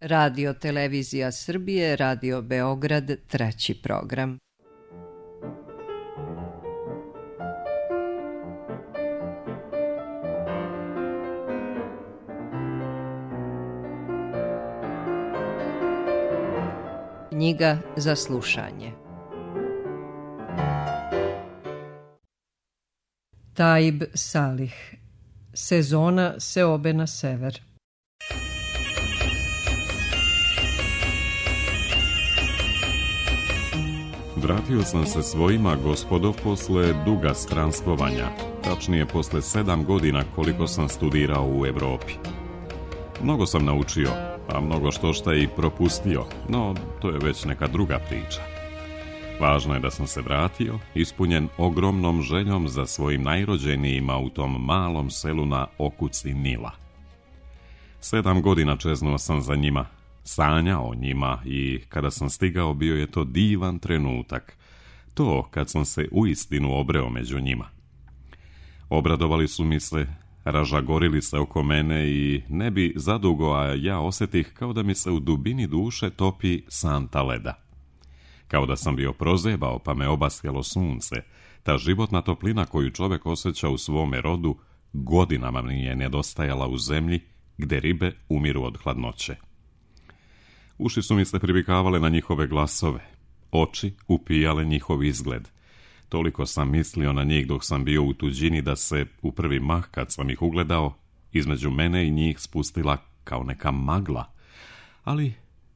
Radio Televizija Srbije, Radio Beograd, 3. program. Knjiga za slušanje. Taib Salih. Sezona seobe na sever. Vratio sam se svojima, gospodo, posle duga stranstvovanja, tačnije posle 7 godina koliko sam studirao u Evropi. Mnogo sam naučio, a mnogo štošta i propustio, no to je već neka druga priča. Važno je da sam se vratio, ispunjen ogromnom željom za svojim najrođenijima u tom malom selu na okuci Nila. 7 godina čeznuo sam za njima, sanjao o njima i kada sam stigao bio je to divan trenutak, to kad sam se uistinu obreo među njima. Obradovali su mi se, ražagorili se oko mene i ne bi zadugo, a ja osjetih kao da mi se u dubini duše topi santa leda. Kao da sam bio prozebao pa me obasjalo sunce, ta životna toplina koju čovjek osjeća u svome rodu godinama mi je nedostajala u zemlji gdje ribe umiru od hladnoće. Uši su mi se privikavale na njihove glasove, oči upijale njihov izgled. Toliko sam mislio na njih dok sam bio u tuđini da se u prvi mah kad sam ih ugledao, između mene i njih spustila kao neka magla. Ali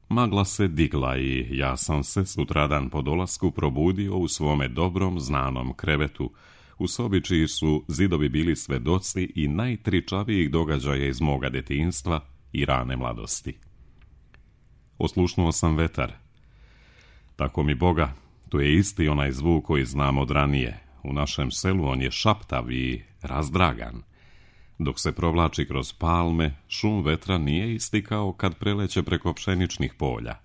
magla se digla i ja sam se sutradan po dolasku probudio u svome dobrom znanom krevetu, u sobi čiji su zidovi bili svedoci i najtričavijih događaja iz moga detinjstva i rane mladosti. Oslušnuo sam vetar. Tako mi Boga, tu je isti onaj zvuk koji znam od ranije. U našem selu on je šaptav i razdragan. Dok se provlači kroz palme, šum vetra nije isti kao kad preleće preko pšeničnih polja.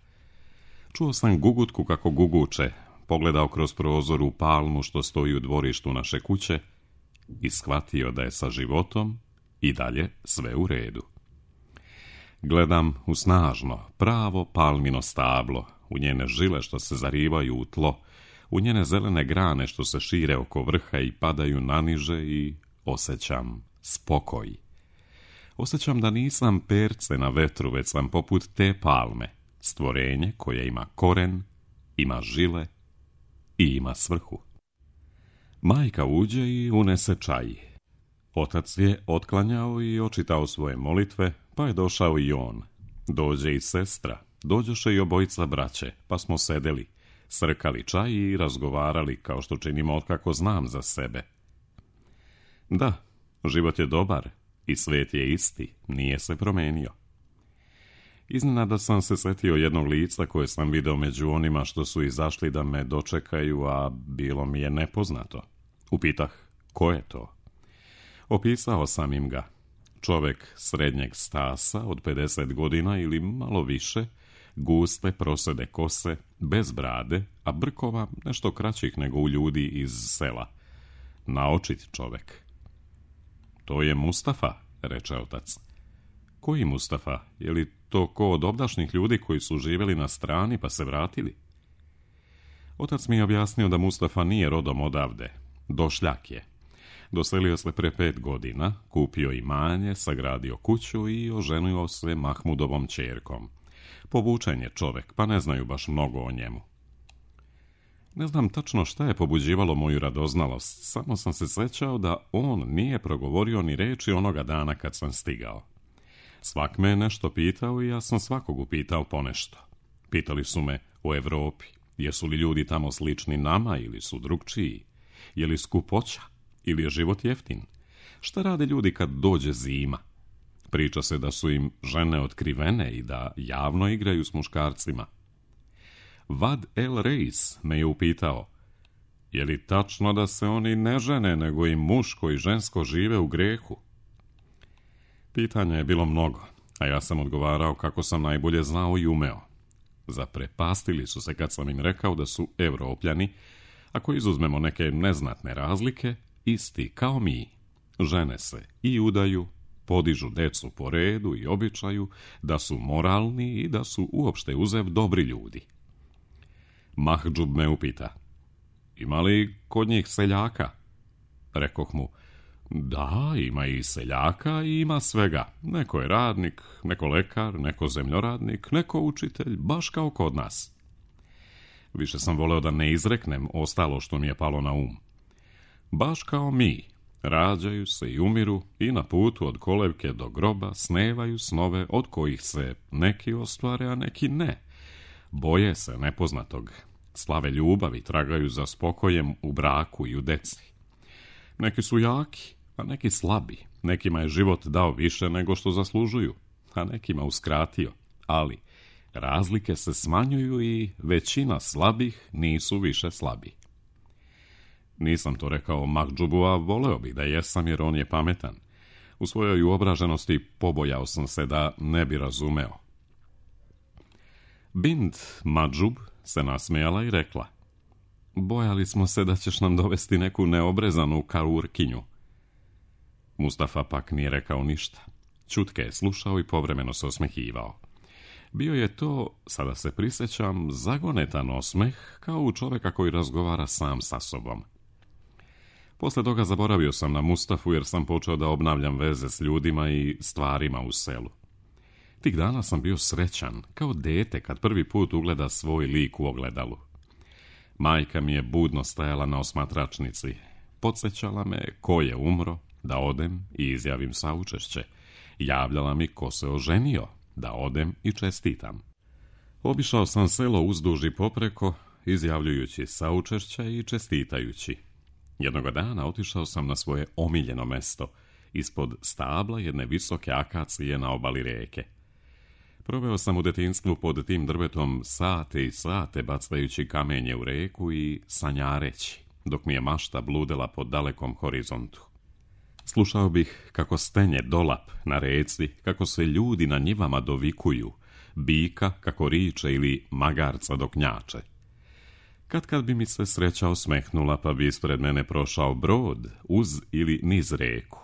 Čuo sam gugutku kako guguče, pogledao kroz prozor u palmu što stoji u dvorištu naše kuće i shvatio da je sa životom i dalje sve u redu. Gledam u snažno, pravo palmino stablo, u njene žile što se zarivaju u tlo, u njene zelene grane što se šire oko vrha i padaju naniže i osjećam spokoj. Osjećam da nisam perce na vetru, već sam poput te palme, stvorenje koje ima koren, ima žile i ima svrhu. Majka uđe i unese čaj. Otac je otklanjao i očitao svoje molitve, pa je došao i on. Dođe i sestra, dođoše i obojica braće, pa smo sedeli, srkali čaj i razgovarali kao što činimo otkako znam za sebe. Da, život je dobar i svijet je isti, nije se promenio. Iznenada sam se sjetio jednog lica koje sam video među onima što su izašli da me dočekaju, a bilo mi je nepoznato. Upitah, ko je to? Opisao sam im ga. Čovjek srednjeg stasa od 50 godina ili malo više, guste prosede kose, bez brade, a brkova nešto kraćih nego u ljudi iz sela. Naočit čovjek. To je Mustafa, reče otac. Koji Mustafa? Je li to ko od obdašnjih ljudi koji su živjeli na strani pa se vratili? Otac mi je objasnio da Mustafa nije rodom odavde. Došljak je. Doselio se pre 5 godina, kupio imanje, sagradio kuću i oženio se Mahmudovom ćerkom. Povučen je čovjek, pa ne znaju baš mnogo o njemu. Ne znam tačno šta je pobuđivalo moju radoznalost, samo sam se sjećao da on nije progovorio ni reči onoga dana kad sam stigao. Svak me je nešto pitao i ja sam svakog upitao ponešto. Pitali su me o Evropi, jesu li ljudi tamo slični nama ili su drugčiji, je li skupoća ili je život jeftin, šta rade ljudi kad dođe zima. Priča se da su im žene otkrivene i da javno igraju s muškarcima. Vad El Reis me je upitao, je li tačno da se oni ne žene, nego i muško i žensko žive u grehu? Pitanja je bilo mnogo, a ja sam odgovarao kako sam najbolje znao i umeo. Zaprepastili su se kad sam im rekao da su Evropljani, ako izuzmemo neke neznatne razlike, isti kao mi. Žene se i udaju podižu decu po redu i običaju, da su moralni i da su uopšte uzev dobri ljudi. Mahdžub me upita: ima li kod njih seljaka? Rekoh mu: da, ima i seljaka i ima svega. Neko je radnik, neko lekar, neko zemljoradnik, neko učitelj, baš kao kod nas. Više sam voleo da ne izreknem ostalo što mi je palo na um. Baš kao mi, rađaju se i umiru i na putu od kolevke do groba snevaju snove od kojih se neki ostvare, a neki ne. Boje se nepoznatog, slave ljubavi, tragaju za spokojem u braku i u deci. Neki su jaki, a neki slabi. Nekima je život dao više nego što zaslužuju, a nekima uskratio. Ali razlike se smanjuju i većina slabih nisu više slabi. Nisam to rekao Mahdžubu, a voleo bih da jesam, jer on je pametan. U svojoj uobraženosti pobojao sam se da ne bi razumeo. Bint Mahdžub se nasmijala i rekla: bojali smo se da ćeš nam dovesti neku neobrezanu karurkinju. Mustafa pak nije rekao ništa. Ćutke je slušao i povremeno se osmehivao. Bio je to, sada se prisjećam, zagonetan osmeh, kao u čovjeka koji razgovara sam sa sobom. Posle toga zaboravio sam na Mustafu, jer sam počeo da obnavljam veze s ljudima i stvarima u selu. Tih dana sam bio srećan, kao dete kad prvi put ugleda svoj lik u ogledalu. Majka mi je budno stajala na osmatračnici. Podsjećala me ko je umro, da odem i izjavim saučešće. Javljala mi ko se oženio, da odem i čestitam. Obišao sam selo uzduž i popreko, izjavljujući saučešća i čestitajući. Jednoga dana otišao sam na svoje omiljeno mesto, ispod stabla jedne visoke akacije na obali rijeke. Proveo sam u detinjstvu pod tim drvetom sate i sate, bacajući kamenje u reku i sanjareći, dok mi je mašta bludela po dalekom horizontu. Slušao bih kako stenje dolap na reci, kako se ljudi na njivama dovikuju, bika kako riče ili magarca dok njače. Kad bi mi se sreća osmehnula, pa bi ispred mene prošao brod uz ili niz reku.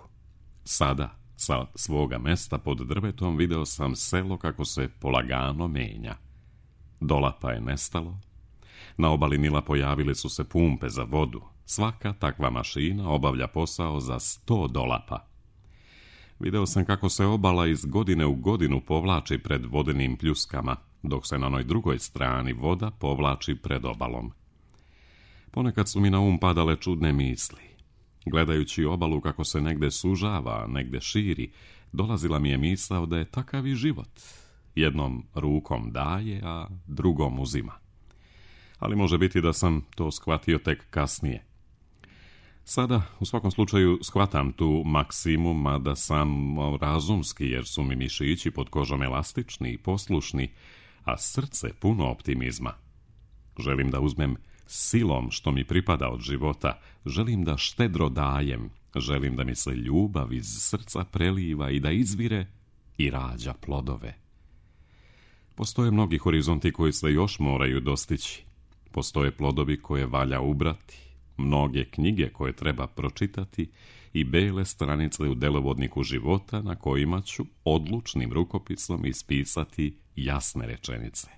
Sada, sa svoga mesta pod drvetom, video sam selo kako se polagano menja. Dolapa je nestalo. Na obali Nila pojavile su se pumpe za vodu. Svaka takva mašina obavlja posao za 100 dolapa. Video sam kako se obala iz godine u godinu povlači pred vodenim pljuskama, dok se na onoj drugoj strani voda povlači pred obalom. Ponekad su mi na um padale čudne misli. Gledajući obalu kako se negde sužava, negde širi, dolazila mi je misao da je takav i život. Jednom rukom daje, a drugom uzima. Ali može biti da sam to shvatio tek kasnije. Sada, u svakom slučaju, shvatam tu maksimu, mada sam razumski, jer su mi mišići pod kožom elastični i poslušni, a srce puno optimizma. Želim da uzmem silom što mi pripada od života, želim da štedro dajem, želim da mi se ljubav iz srca preliva i da izvire i rađa plodove. Postoje mnogi horizonti koji se još moraju dostići. Postoje plodovi koje valja ubrati, mnoge knjige koje treba pročitati i bele stranice u delovodniku života na kojima ću odlučnim rukopisom ispisati jasne rečenice.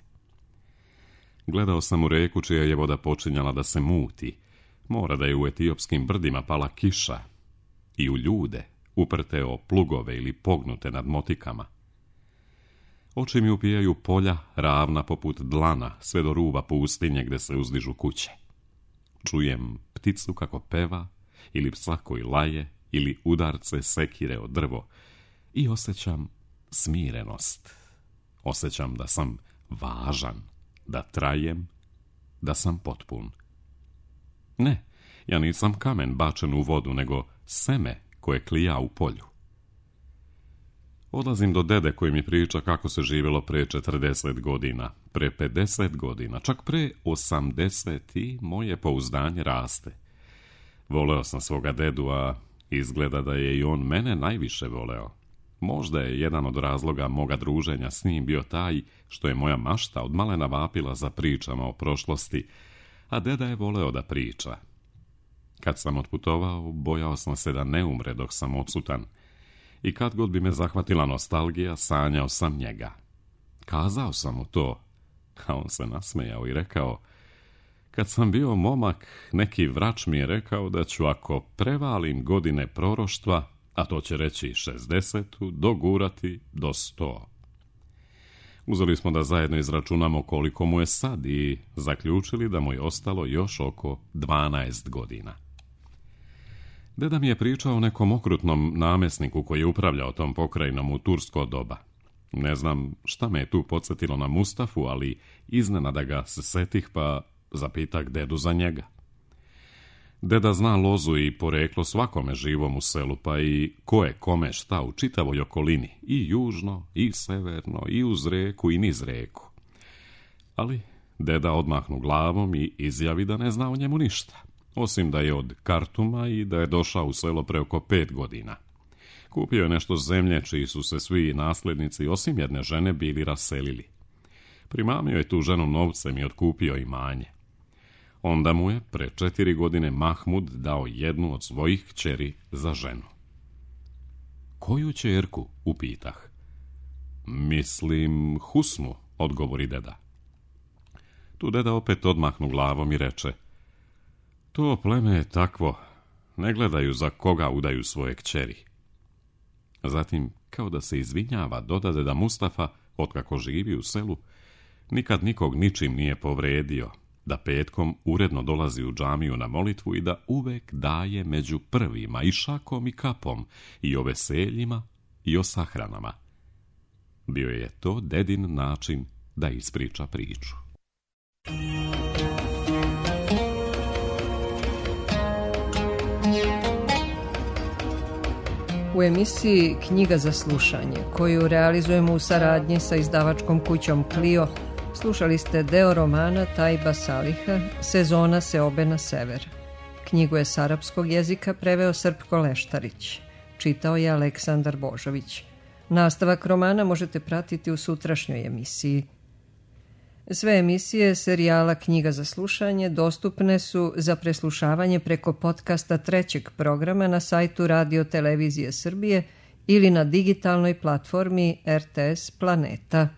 Gledao sam u reku čija je voda počinjala da se muti. Mora da je u etiopskim brdima pala kiša. I u ljude, uprte o plugove ili pognute nad motikama. Oči mi upijaju polja, ravna poput dlana, sve do ruba pustinje gde se uzdižu kuće. Čujem pticu kako peva, ili psa koji laje, ili udarce sekire o drvo i osjećam smirenost. Osjećam da sam važan, da trajem, da sam potpun. Ne, ja nisam kamen bačen u vodu, nego seme koje klija u polju. Odlazim do dede koji mi priča kako se živjelo pre 40 godina, pre 50 godina, čak pre 80 i moje pouzdanje raste. Voleo sam svoga dedu, a izgleda da je i on mene najviše voleo. Možda je jedan od razloga moga druženja s njim bio taj što je moja mašta od malena vapila za pričama o prošlosti, a deda je voleo da priča. Kad sam otputovao, bojao sam se da ne umre dok sam odsutan, i kad god bi me zahvatila nostalgija, sanjao sam njega. Kazao sam mu to, a on se nasmejao i rekao: kad sam bio momak, neki vrač mi je rekao da ću, ako prevalim godine proroštva, a to će reći 60, dogurati do 100. Uzeli smo da zajedno izračunamo koliko mu je sad i zaključili da mu je ostalo još oko 12 godina. Deda mi je pričao o nekom okrutnom namjesniku koji je upravljao tom pokrajinom u tursko doba. Ne znam šta me je tu podsjetilo na Mustafu, ali iznenada ga se setih pa zapitak dedu za njega. Deda zna lozu i poreklo svakome živom u selu, pa i ko je kome šta u čitavoj okolini, i južno, i severno, i uz reku, i niz reku. Ali deda odmahnu glavom i izjavi da ne zna o njemu ništa, osim da je od Kartuma i da je došao u selo pre oko 5 godina. Kupio je nešto zemlje čiji su se svi nasljednici, osim jedne žene, bili raselili. Primamio je tu ženu novcem i otkupio imanje. Onda mu je pre 4 godine Mahmud dao jednu od svojih kćeri za ženu. Koju ćerku? Upitah. Mislim Husnu, odgovori deda. Tu deda opet odmahnu glavom i reče: to pleme je takvo, ne gledaju za koga udaju svoje kćeri. Zatim, kao da se izvinjava, dodade da Mustafa, otkako živi u selu, nikad nikog ničim nije povredio, da petkom uredno dolazi u džamiju na molitvu i da uvek daje među prvima i šakom i kapom, i o veseljima i o sahranama. Bio je to dedin način da ispriča priču. U emisiji Knjiga za slušanje, koju realizujemo u saradnji sa izdavačkom kućom Clio, slušali ste deo romana Tajba Saliha Sezona seobe na sever. Knjigu je s arapskog jezika preveo Srpko Leštarić. Čitao je Aleksandar Božović. Nastavak romana možete pratiti u sutrašnjoj emisiji. Sve emisije serijala Knjiga za slušanje dostupne su za preslušavanje preko podcasta 3. programa na sajtu Radio Televizije Srbije ili na digitalnoj platformi RTS Planeta.